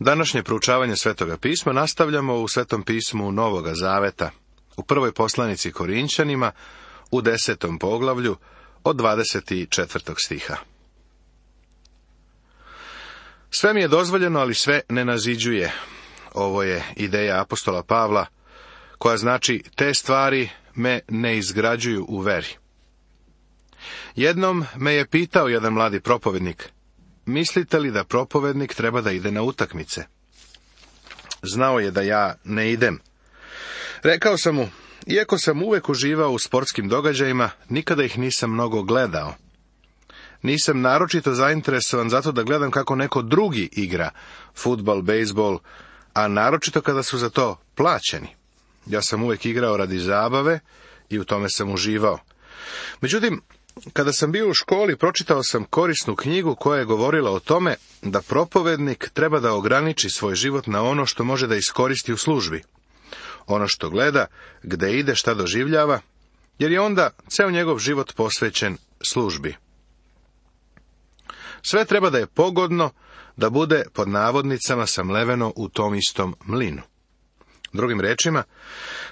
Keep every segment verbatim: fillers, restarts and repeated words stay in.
Današnje proučavanje Svetoga pisma nastavljamo u Svetom pismu Novoga Zaveta, u prvoj poslanici Korinćanima, u desetom poglavlju, od dvadeset četvrtog stiha. Sve mi je dozvoljeno, ali sve ne naziđuje. Ovo je ideja apostola Pavla, koja znači te stvari me ne izgrađuju u veri. Jednom me je pitao jedan mladi propovednik, mislite li da propovednik treba da ide na utakmice? Znao je da ja ne idem. Rekao sam mu, iako sam uvek uživao u sportskim događajima, nikada ih nisam mnogo gledao. Nisam naročito zainteresovan zato da gledam kako neko drugi igra, fudbal, bejsbol, a naročito kada su za to plaćeni. Ja sam uvek igrao radi zabave i u tome sam uživao. Međutim, kada sam bio u školi, pročitao sam korisnu knjigu koja je govorila o tome da propovednik treba da ograniči svoj život na ono što može da iskoristi u službi. Ono što gleda, gde ide, šta doživljava, jer je onda ceo njegov život posvećen službi. Sve treba da je pogodno, da bude pod navodnicama samleveno u tom istom mlinu. Drugim rečima,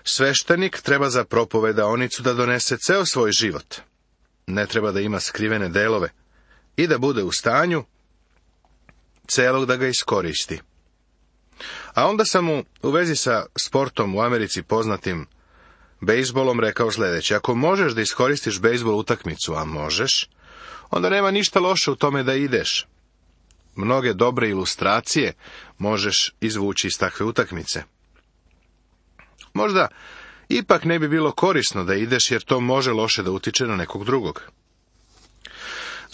sveštenik treba za propovedaonicu da donese ceo svoj život. Ne treba da ima skrivene delove i da bude u stanju celog da ga iskoristi. A onda sam mu u vezi sa sportom u Americi poznatim bejsbolom rekao sljedeće: ako možeš da iskoristiš bejsbol utakmicu, a možeš, onda nema ništa loše u tome da ideš. Mnoge dobre ilustracije možeš izvući iz takve utakmice. Možda ipak ne bi bilo korisno da ideš, jer to može loše da utiče na nekog drugog.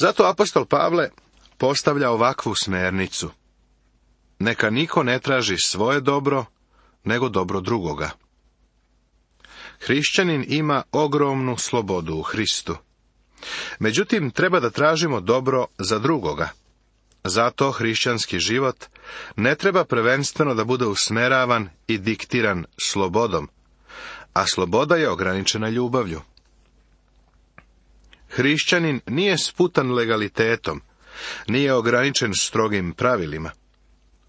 Zato apostol Pavle postavlja ovakvu smernicu. Neka niko ne traži svoje dobro, nego dobro drugoga. Hrišćanin ima ogromnu slobodu u Hristu. Međutim, treba da tražimo dobro za drugoga. Zato hrišćanski život ne treba prvenstveno da bude usmeravan i diktiran slobodom, a sloboda je ograničena ljubavlju. Hrišćanin nije sputan legalitetom, nije ograničen strogim pravilima.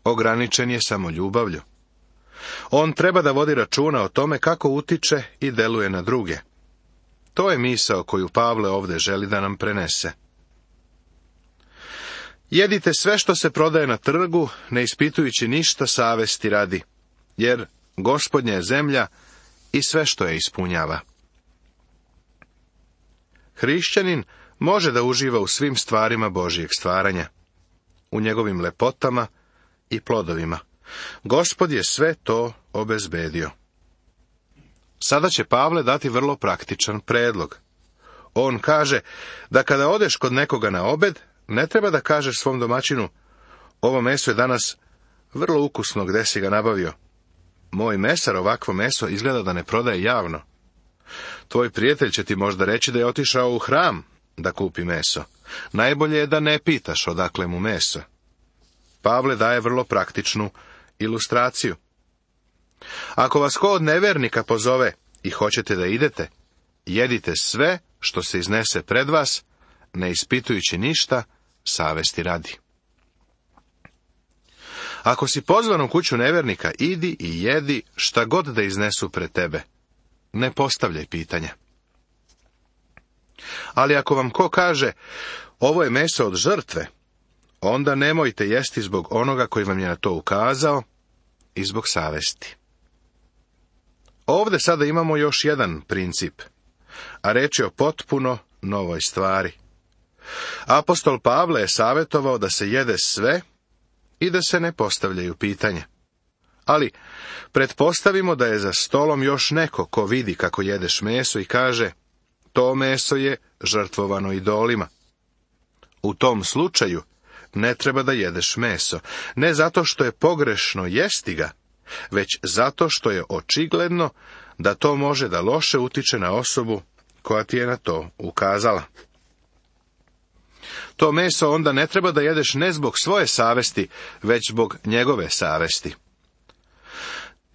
Ograničen je samo ljubavlju. On treba da vodi računa o tome kako utiče i deluje na druge. To je misao koju Pavle ovde želi da nam prenese. Jedite sve što se prodaje na trgu, ne ispitujući ništa savesti radi, jer Gospodnja je zemlja i sve što je ispunjava. Hrišćanin može da uživa u svim stvarima Božijeg stvaranja, u njegovim lepotama i plodovima. Gospod je sve to obezbedio. Sada će Pavle dati vrlo praktičan predlog. On kaže da kada odeš kod nekoga na obed, ne treba da kažeš svom domaćinu: ovo meso je danas vrlo ukusno, gde si ga nabavio? Moj mesar ovakvo meso izgleda da ne prodaje javno. Tvoj prijatelj će ti možda reći da je otišao u hram da kupi meso. Najbolje je da ne pitaš odakle mu meso. Pavle daje vrlo praktičnu ilustraciju. Ako vas ko od nevernika pozove i hoćete da idete, jedite sve što se iznese pred vas, ne ispitujući ništa, savesti radi. Ako si pozvan u kuću nevernika, idi i jedi šta god da iznesu pred tebe. Ne postavljaj pitanja. Ali ako vam ko kaže: ovo je meso od žrtve, onda nemojte jesti zbog onoga koji vam je na to ukazao i zbog savesti. Ovde sada imamo još jedan princip, a reč je o potpuno novoj stvari. Apostol Pavle je savjetovao da se jede sve i da se ne postavljaju pitanja. Ali pretpostavimo da je za stolom još neko ko vidi kako jedeš meso i kaže: to meso je žrtvovano idolima. U tom slučaju ne treba da jedeš meso, ne zato što je pogrešno jesti ga, već zato što je očigledno da to može da loše utiče na osobu koja ti je na to ukazala. To meso onda ne treba da jedeš ne zbog svoje savesti, već zbog njegove savesti.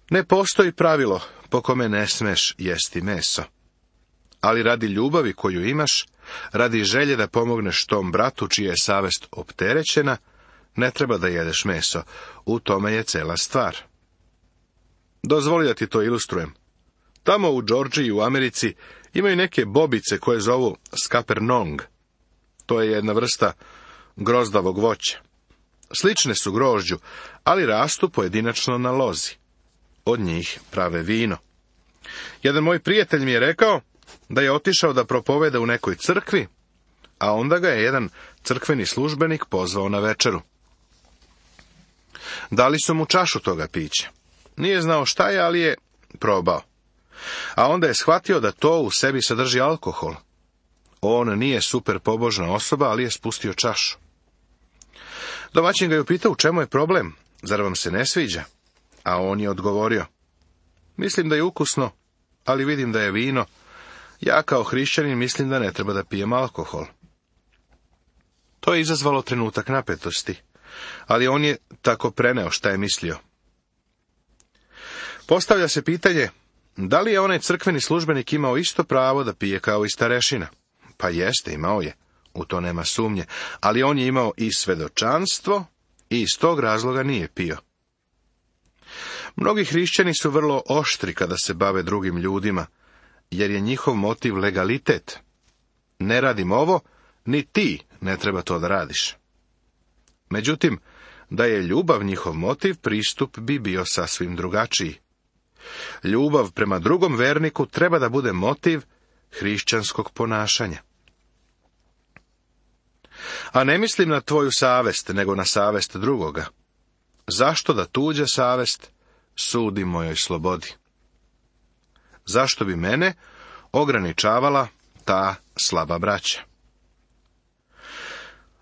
Ne postoji pravilo po kome ne smeš jesti meso. Ali radi ljubavi koju imaš, radi želje da pomogneš tom bratu čija je savest opterećena, ne treba da jedeš meso, u tome je cela stvar. Dozvoli da ti to ilustrujem. Tamo u Džordžiji u Americi imaju neke bobice koje zovu skapernong. To je jedna vrsta grozdavog voća. Slične su grožđu, ali rastu pojedinačno na lozi. Od njih prave vino. Jedan moj prijatelj mi je rekao da je otišao da propoveda u nekoj crkvi, a onda ga je jedan crkveni službenik pozvao na večeru. Dali su mu čašu toga pića. Nije znao šta je, ali je probao. A onda je shvatio da to u sebi sadrži alkohol. On nije super pobožna osoba, ali je spustio čašu. Domaćin ga je upitao u čemu je problem, zar vam se ne sviđa? A on je odgovorio, mislim da je ukusno, ali vidim da je vino. Ja kao hrišćanin mislim da ne treba da pijem alkohol. To je izazvalo trenutak napetosti, ali on je tako preneo šta je mislio. Postavlja se pitanje, da li je onaj crkveni službenik imao isto pravo da pije kao i starešina? Pa jeste, imao je, u to nema sumnje, ali on je imao i svedočanstvo i iz tog razloga nije pio. Mnogi hrišćani su vrlo oštri kada se bave drugim ljudima, jer je njihov motiv legalitet. Ne radim ovo, ni ti ne treba to da radiš. Međutim, da je ljubav njihov motiv, pristup bi bio sasvim drugačiji. Ljubav prema drugom verniku treba da bude motiv hrišćanskog ponašanja. A ne mislim na tvoju savest, nego na savest drugoga. Zašto da tuđa savest sudi mojoj slobodi? Zašto bi mene ograničavala ta slaba braća?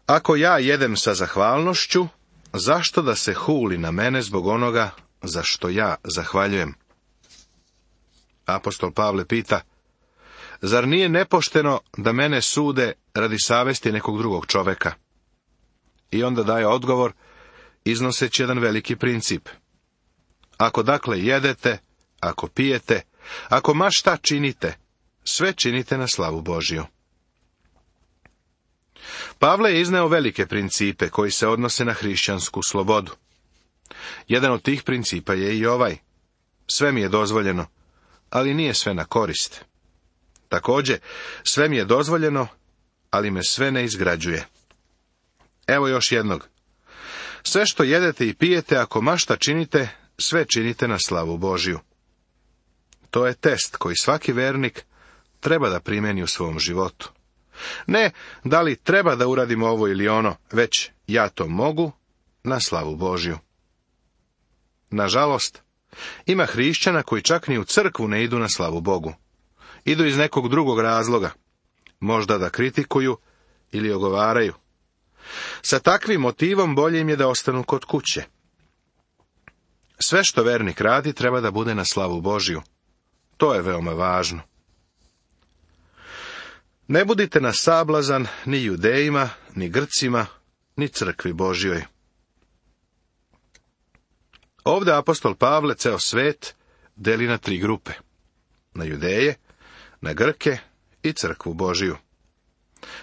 Ako ja jedem sa zahvalnošću, zašto da se huli na mene zbog onoga za što ja zahvaljujem? Apostol Pavle pita, zar nije nepošteno da mene sude radi savesti nekog drugog čoveka? I onda daje odgovor, iznoseći jedan veliki princip. Ako dakle jedete, ako pijete, ako ma šta činite, sve činite na slavu Božiju. Pavle je izneo velike principe koji se odnose na hrišćansku slobodu. Jedan od tih principa je i ovaj. Sve mi je dozvoljeno, ali nije sve na korist. Također, sve mi je dozvoljeno, ali me sve ne izgrađuje. Evo još jednog. Sve što jedete i pijete, ako ma šta činite, sve činite na slavu Božiju. To je test koji svaki vernik treba da primjeni u svom životu. Ne da li treba da uradim ovo ili ono, već ja to mogu na slavu Božju. Nažalost, ima hrišćana koji čak ni u crkvu ne idu na slavu Bogu. Idu iz nekog drugog razloga, možda da kritikuju ili ogovaraju. Sa takvim motivom bolje im je da ostanu kod kuće. Sve što vernik radi treba da bude na slavu Božju. To je veoma važno. Ne budite na sablazan ni Judejima, ni Grcima, ni crkvi Božjoj. Ovdje apostol Pavle ceo svet deli na tri grupe. Na Judeje, na Grke i crkvu Božiju.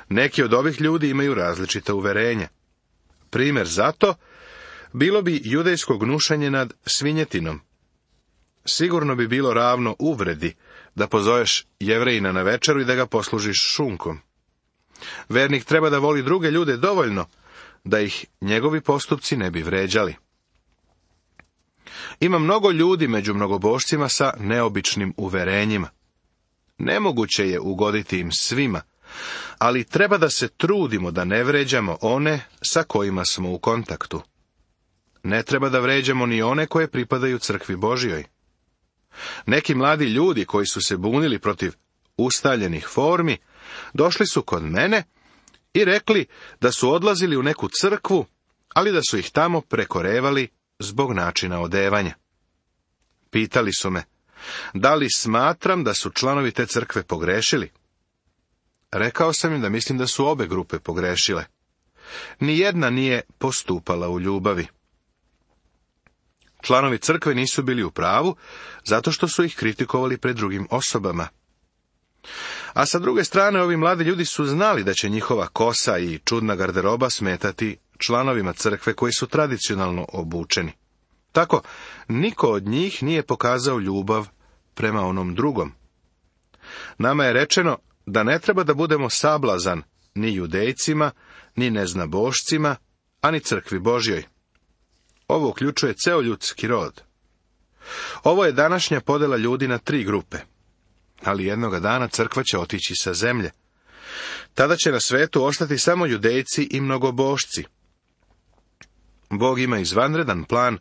Neki od ovih ljudi imaju različita uverenja. Primjer za to bilo bi judejsko gnušanje nad svinjetinom. Sigurno bi bilo ravno uvredi da pozoveš Jevrejina na večeru i da ga poslužiš šunkom. Vernik treba da voli druge ljude dovoljno da ih njegovi postupci ne bi vređali. Ima mnogo ljudi među mnogobošcima sa neobičnim uverenjima. Nemoguće je ugoditi im svima, ali treba da se trudimo da ne vređamo one sa kojima smo u kontaktu. Ne treba da vređamo ni one koje pripadaju crkvi Božjoj. Neki mladi ljudi koji su se bunili protiv ustaljenih formi, došli su kod mene i rekli da su odlazili u neku crkvu, ali da su ih tamo prekorevali zbog načina odevanja. Pitali su me, da li smatram da su članovi te crkve pogrešili? Rekao sam im da mislim da su obe grupe pogrešile. Nijedna nije postupala u ljubavi. Članovi crkve nisu bili u pravu, zato što su ih kritikovali pred drugim osobama. A sa druge strane, ovi mladi ljudi su znali da će njihova kosa i čudna garderoba smetati članovima crkve koji su tradicionalno obučeni. Tako, niko od njih nije pokazao ljubav prema onom drugom. Nama je rečeno da ne treba da budemo sablazan ni judejcima, ni neznabošcima, a ni crkvi Božjoj. Ovo uključuje ceo ljudski rod. Ovo je današnja podela ljudi na tri grupe, ali jednoga dana crkva će otići sa zemlje. Tada će na svetu ostati samo judejci i mnogobošci. Bog ima izvanredan plan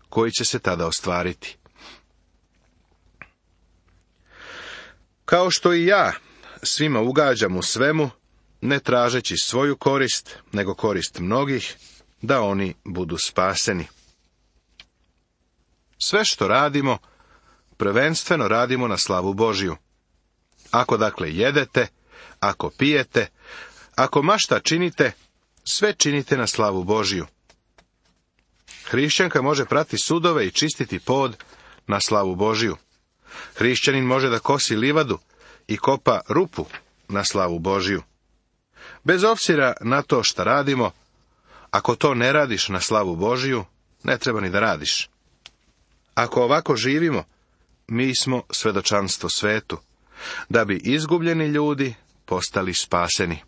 koji će se tada ostvariti. Kao što i ja svima ugađam u svemu, ne tražeći svoju korist, nego korist mnogih, da oni budu spaseni. Sve što radimo, prvenstveno radimo na slavu Božju. Ako dakle jedete, ako pijete, ako ma šta činite, sve činite na slavu Božju. Hrišćanka može prati sudove i čistiti pod na slavu Božju. Hrišćanin može da kosi livadu i kopa rupu na slavu Božju. Bez obzira na to šta radimo, ako to ne radiš na slavu Božju, ne treba ni da radiš. Ako ovako živimo, mi smo svedočanstvo svetu, da bi izgubljeni ljudi postali spaseni.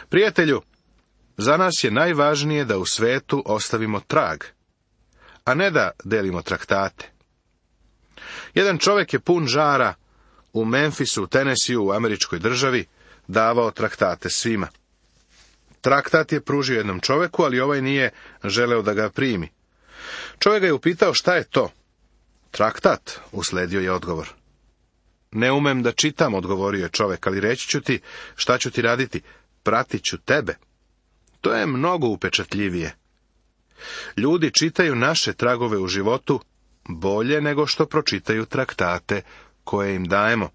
Prijatelju, za nas je najvažnije da u svetu ostavimo trag, a ne da delimo traktate. Jedan čovjek je pun žara u Memphisu, u Tenesiju, u američkoj državi, davao traktate svima. Traktat je pružio jednom čovjeku, ali ovaj nije želeo da ga primi. Čovjek ga je upitao šta je to. Traktat, usledio je odgovor. Ne umem da čitam, odgovorio je čovjek, ali reći ću ti šta ću ti raditi, pratit ću tebe. To je mnogo upečatljivije. Ljudi čitaju naše tragove u životu bolje nego što pročitaju traktate koje im dajemo.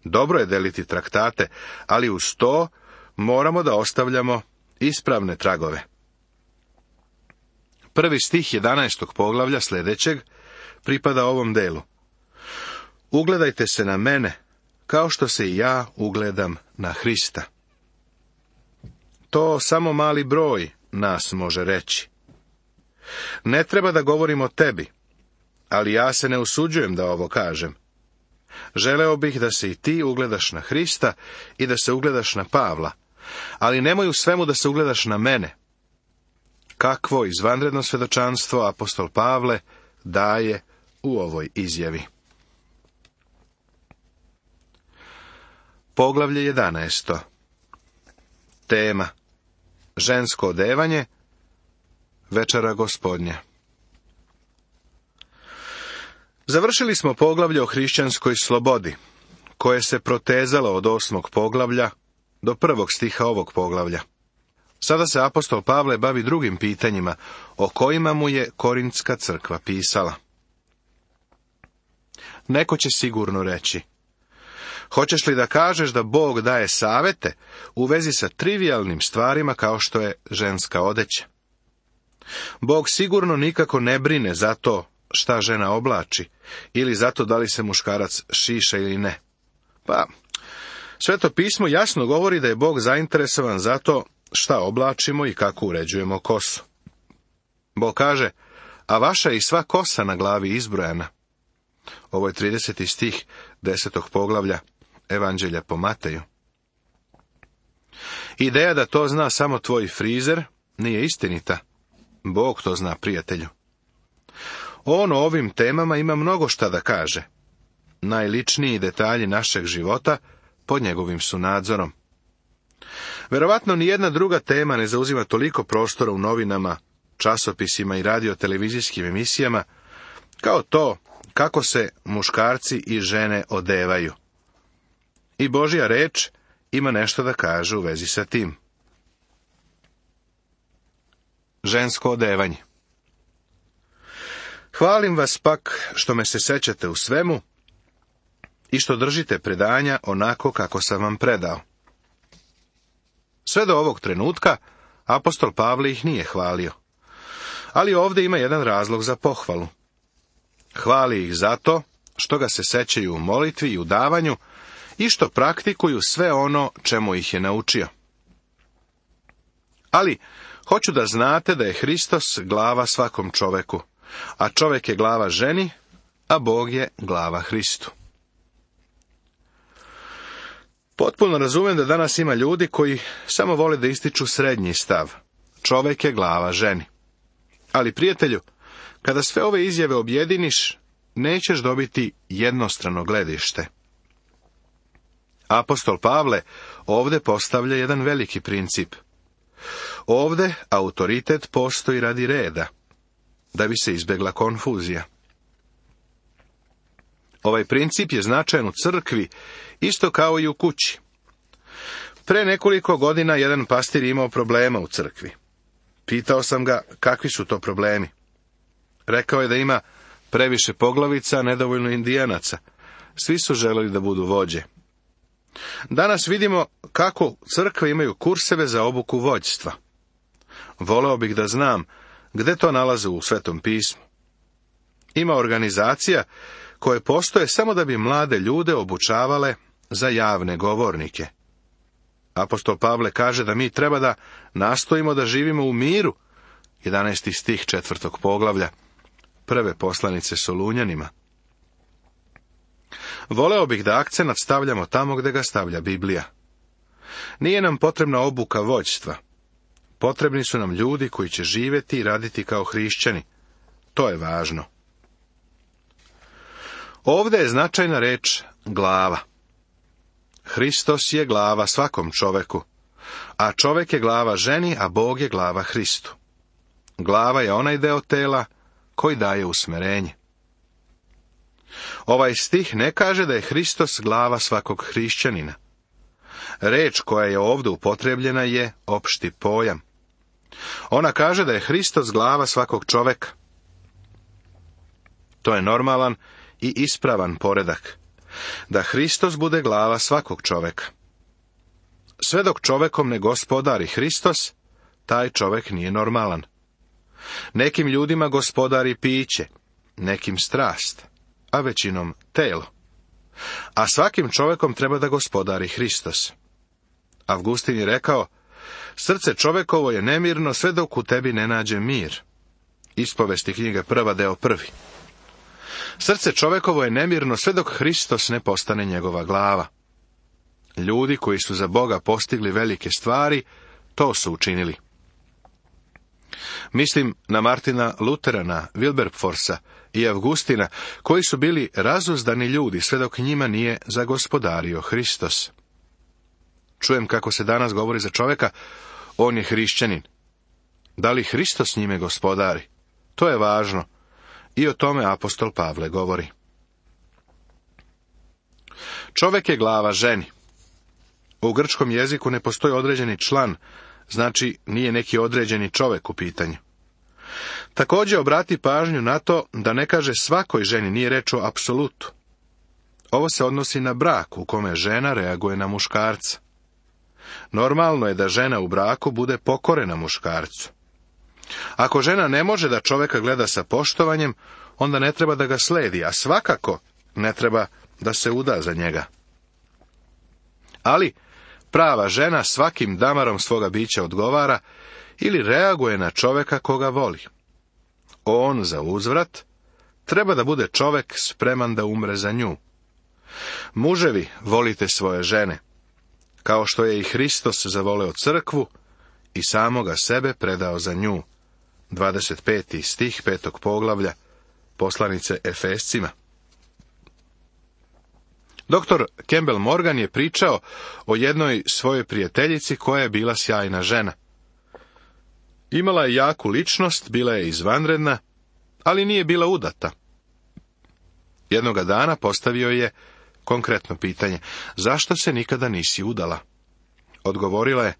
Dobro je deliti traktate, ali uz to moramo da ostavljamo ispravne tragove. Prvi stih jedanaestog poglavlja sljedećeg pripada ovom delu. Ugledajte se na mene, kao što se i ja ugledam na Hrista. To samo mali broj nas može reći. Ne treba da govorim o tebi, ali ja se ne usuđujem da ovo kažem. Želeo bih da se i ti ugledaš na Hrista i da se ugledaš na Pavla, ali nemoj u svemu da se ugledaš na mene. Kakvo izvanredno svedočanstvo apostol Pavle daje u ovoj izjavi. Poglavlje jedanaesto. Tema: žensko odevanje, večera Gospodnja. Završili smo poglavlje o hrišćanskoj slobodi, koje se protezalo od osmog poglavlja do prvog stiha ovog poglavlja. Sada se apostol Pavle bavi drugim pitanjima, o kojima mu je Korintska crkva pisala. Neko će sigurno reći: hoćeš li da kažeš da Bog daje savete u vezi sa trivijalnim stvarima kao što je ženska odeća? Bog sigurno nikako ne brine za to šta žena oblači, ili zato da li se muškarac šiša ili ne. Pa, Sveto pismo jasno govori da je Bog zainteresovan za to šta oblačimo i kako uređujemo kosu. Bog kaže: a vaša je i sva kosa na glavi izbrojana. Ovo je trideseti stih desetog poglavlja Evanđelja po Mateju. Ideja da to zna samo tvoj frizer nije istinita. Bog to zna, prijatelju. On o ovim temama ima mnogo šta da kaže. Najličniji detalji našeg života pod njegovim su nadzorom. Verovatno ni jedna druga tema ne zauzima toliko prostora u novinama, časopisima i radio-televizijskim emisijama, kao to kako se muškarci i žene odevaju. I Božja reč ima nešto da kaže u vezi sa tim. Žensko odevanje. Hvalim vas pak što me se sećate u svemu i što držite predanja onako kako sam vam predao. Sve do ovog trenutka apostol Pavle ih nije hvalio. Ali ovdje ima jedan razlog za pohvalu. Hvali ih zato što ga se sećaju u molitvi i u davanju i što praktikuju sve ono čemu ih je naučio. Ali, hoću da znate da je Hristos glava svakom čoveku, a čovek je glava ženi, a Bog je glava Hristu. Potpuno razumem da danas ima ljudi koji samo vole da ističu srednji stav. Čovek je glava ženi. Ali, prijatelju, kada sve ove izjave objediniš, nećeš dobiti jednostrano gledište. Apostol Pavle ovdje postavlja jedan veliki princip. Ovdje autoritet postoji radi reda, da bi se izbjegla konfuzija. Ovaj princip je značajan u crkvi, isto kao i u kući. Pre nekoliko godina jedan pastir imao problema u crkvi. Pitao sam ga kakvi su to problemi. Rekao je da ima previše poglavica, nedovoljno indijanaca. Svi su želeli da budu vođe. Danas vidimo kako crkve imaju kurseve za obuku vođstva. Voleo bih da znam gde to nalaze u Svetom pismu. Ima organizacija koje postoje samo da bi mlade ljude obučavale za javne govornike. Apostol Pavle kaže da mi treba da nastojimo da živimo u miru, jedanaesti stih četvrtog poglavlja, prve poslanice Solunjanima. Voleo bih da akcenat stavljamo tamo gde ga stavlja Biblija. Nije nam potrebna obuka vođstva. Potrebni su nam ljudi koji će živjeti i raditi kao hrišćani. To je važno. Ovdje je značajna reč glava. Hristos je glava svakom čoveku, a čovek je glava ženi, a Bog je glava Hristu. Glava je onaj deo tela koji daje usmerenje. Ovaj stih ne kaže da je Hristos glava svakog hrišćanina. Reč koja je ovdje upotrebljena je opšti pojam. Ona kaže da je Hristos glava svakog čoveka. To je normalan i ispravan poredak. Da Hristos bude glava svakog čoveka. Sve dok čovekom ne gospodari Hristos, taj čovek nije normalan. Nekim ljudima gospodari piće, nekim strast, a većinom telo. A svakim čovekom treba da gospodari Hristos. Avgustin je rekao, srce čovekovo je nemirno sve dok u tebi ne nađe mir. Ispovesti knjige prva deo prvi. Srce čovekovo je nemirno sve dok Hristos ne postane njegova glava. Ljudi koji su za Boga postigli velike stvari, to su učinili. Mislim na Martina Luterana, Wilberforsa i Avgustina, koji su bili razuzdani ljudi sve dok njima nije zagospodario Hristos. Čujem kako se danas govori za čovjeka, on je hrišćanin. Da li Hristos njime gospodari? To je važno. I o tome apostol Pavle govori. Čovjek je glava ženi. U grčkom jeziku ne postoji određeni član, znači nije neki određeni čovjek u pitanju. Također obrati pažnju na to da ne kaže svakoj ženi, nije reč o apsolutu. Ovo se odnosi na brak u kome žena reaguje na muškarca. Normalno je da žena u braku bude pokorena muškarcu. Ako žena ne može da čovjeka gleda sa poštovanjem, onda ne treba da ga sledi, a svakako ne treba da se uda za njega. Ali prava žena svakim damarom svoga bića odgovara ili reaguje na čovjeka koga voli. On za uzvrat treba da bude čovjek spreman da umre za nju. Muževi, volite svoje žene, kao što je i Hristos zavoleo crkvu i samoga sebe predao za nju. dvadeset peti stih petog poglavlja poslanice Efescima. Doktor Campbell Morgan je pričao o jednoj svojoj prijateljici koja je bila sjajna žena. Imala je jaku ličnost, bila je izvanredna, ali nije bila udata. Jednoga dana postavio je konkretno pitanje, zašto se nikada nisi udala? Odgovorila je,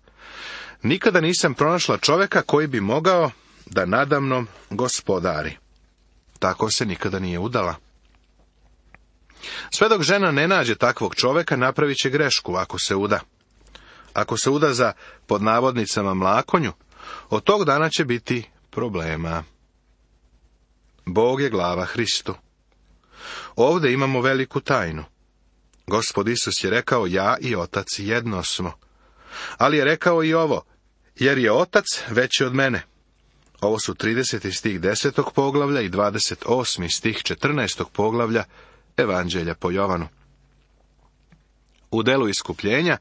nikada nisam pronašla čovjeka koji bi mogao da nadamnom gospodari. Tako se nikada nije udala. Sve dok žena ne nađe takvog čovjeka, napravit će grešku ako se uda. Ako se uda za, pod navodnicama, mlakonju, od tog dana će biti problema. Bog je glava Hristu. Ovdje imamo veliku tajnu. Gospod Isus je rekao, ja i Otac jedno smo. Ali je rekao i ovo, jer je otac veći od mene. Ovo su trideseti stih desetog poglavlja i dvadeset osmi stih četrnaestog poglavlja Evanđelja po Jovanu. U delu iskupljenja,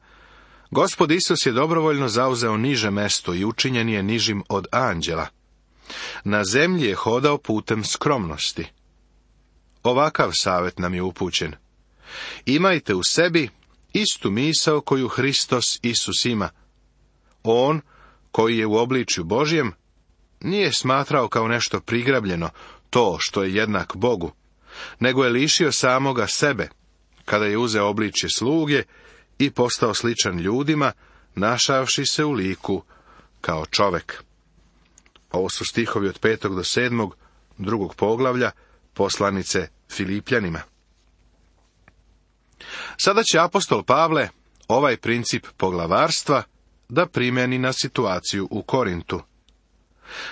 Gospod Isus je dobrovoljno zauzeo niže mesto i učinjen je nižim od anđela. Na zemlji je hodao putem skromnosti. Ovakav savjet nam je upućen. Imajte u sebi istu misao koju Hristos Isus ima. On, koji je u obličju Božjem, nije smatrao kao nešto prigrabljeno to što je jednak Bogu, nego je lišio samoga sebe, kada je uzeo obličje sluge i postao sličan ljudima, našavši se u liku kao čovek. Ovo su stihovi od petog do sedmog drugog poglavlja poslanice Filipljanima. Sada će apostol Pavle ovaj princip poglavarstva da primjeni na situaciju u Korintu.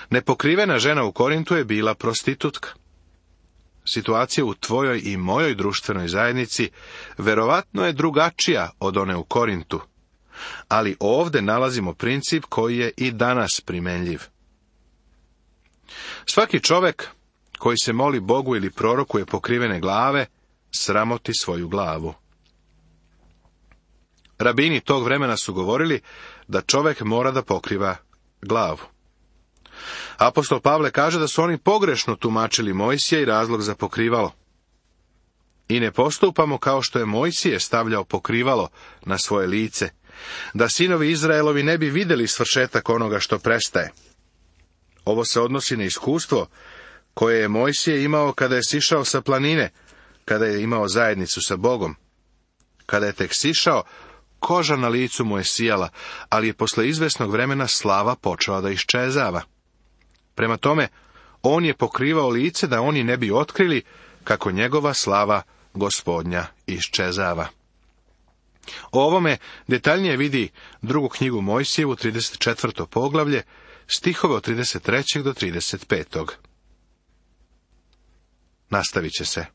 Nepokrivena žena u Korintu je bila prostitutka. Situacija u tvojoj i mojoj društvenoj zajednici verovatno je drugačija od one u Korintu, ali ovdje nalazimo princip koji je i danas primenljiv. Svaki čovjek koji se moli Bogu ili prorokuje pokrivene glave, sramoti svoju glavu. Rabini tog vremena su govorili da čovjek mora da pokriva glavu. Apostol Pavle kaže da su oni pogrešno tumačili Mojsija i razlog za pokrivalo. I ne postupamo kao što je Mojsije stavljao pokrivalo na svoje lice, da sinovi Izraelovi ne bi vidjeli svršetak onoga što prestaje. Ovo se odnosi na iskustvo koje je Mojsije imao kada je sišao sa planine, kada je imao zajednicu sa Bogom. Kada je tek sišao, koža na licu mu je sijala, ali je posle izvesnog vremena slava počela da iščezava. Prema tome, on je pokrivao lice da oni ne bi otkrili kako njegova slava Gospodnja iščezava. O ovome detaljnije vidi drugu knjigu Mojsijevu, trideset četvrto poglavlje, stihove od trideset trećeg do trideset petog. Nastavit će se.